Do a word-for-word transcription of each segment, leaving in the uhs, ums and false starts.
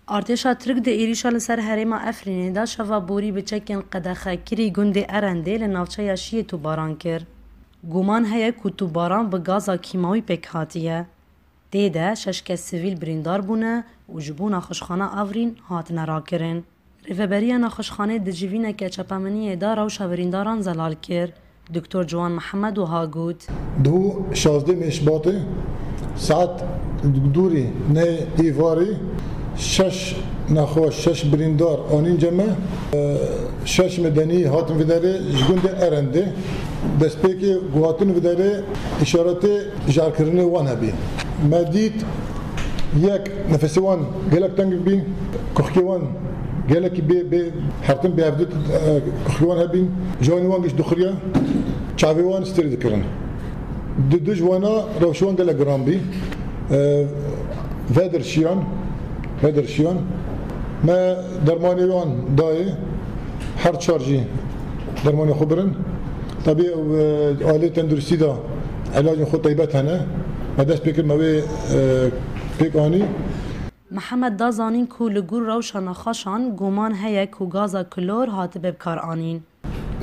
Artêşa Tirk di êrîşa li ser herêma Efrînê de şeva borî bi çekên qedexekirî gundê Erendê li navçeya Şiyê tûbaran kir. Guman heye ku tûbaran bi gaza kîmawî pêk hatiye. Tê de şeş kes sivîl birîndar bûne û ji bo nexweşxana Afrîn hatine rakirin. Rêveberiya nexweşxanê di civîneke çapemeniyê de rewşa birîndaran zelal kir. Doktor Ciwan Mihemed wiha got. Di şazdeh Mêşbatê saet dûrî nehê êvarê şeş nexweş, şeş birîndar anîn cem me. Şeş medenî hatin vê derê ji gundê Erendê. Destpêkê ku hatin vê derê îşaretê jarkirinê wan hebî. Me dît yek nefesê wan gelek teng bî, kuxkê wan gelekî bê, bê hertin bê hevdû, e, kuxkê wan hebîn, canê wan giş dixuriye, çavê wan stêrî dikirin. Du, du ji wana rewşê wan gelek giran bî. E, vedir şiyan, vedir şiyan. Me dermanê wan dayê, her çar jî dermanê xwe birin. Tabî, e, alê tenduristî de ilacên xwe teybet hene. Me dest pê kir, me wê, e, pêk anî. Mihemed da zanîn ku li gor rewşa nexweşan guman heye ku gaza klor hatibe bi kar anîn.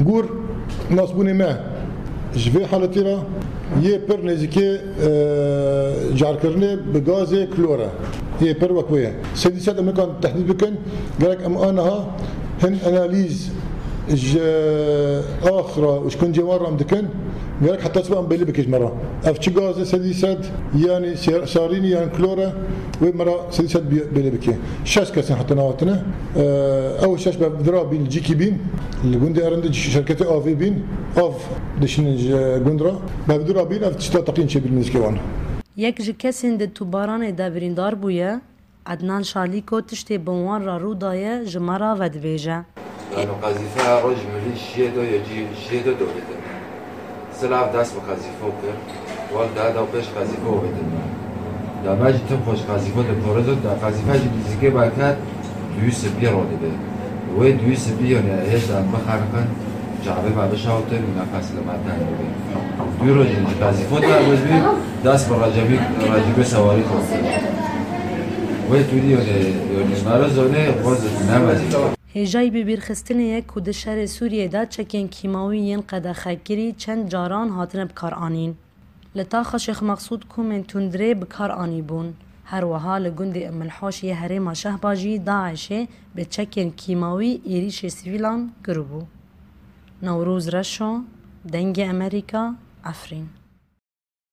Gor nasbûnê me ji vê haletî re yê pir nêzîkê, e, carkirinê bi gazê klor e. Yê pir wek wê ye. Sedî sed em nikan tehdîd bikin, gerek em aniha hin analîz ji ax re û ji kincê wan re em dikin, gerek heta sibe em belê bike ji me re. Ev çi gaz e sedî sed, yanî ser-, sarînî yan klor e, wê me re sedî sed bi-, belê bike. Şeş kes in heta niha hatine. Ew şeş bevdira bîn, li cîkî bîn, li gundê Erendê şirketê avê bîn, av dişînin ji gund re. Bevdira bîn, ev tişta teqîn çêbîn nêzîkê wan. Yek ji kesên di tûbaranê de birîndar bûye. Ednan Şalîko tiştê bi wan re rû daye ji me re vedibêje. Yanî qezîfe roj milî şiyê do yê cî şiyê do dovêtin. Silav dest bi qezîfo kir. Wek daha da pêş qezîfe ovêtin me. Da me jî tim xweş qezîfe di porizo da qezîfe jî nêzîkê me ket duyî sipî ro dibe. Wê duyî sipî yone hêj da bixeniqin. Çavê me bişawtin û nefes li me teng bibe. Dû rojî ji qezîfo derbas bî, dest bi Recebî, Recebê Sewarî xwestin. Wê tûrî yonê, yonê meriz onê xwez nemezî. Hêjayî bibîrxistinê ye ku di şerê Sûriyê de çekên kîmawî yên qedexekirî çend caran hatine bikaranîn. Li taxa Şêx Mexsûd komên tundrê bi kar anîbûn. Her wiha li gundê Umilhoş yê herêma Şehba jî DAIŞê bi çekên kîmawî êrîşê sivîlan kiribû. Newroz Reşo, Dengê Emerîka, Efrîn.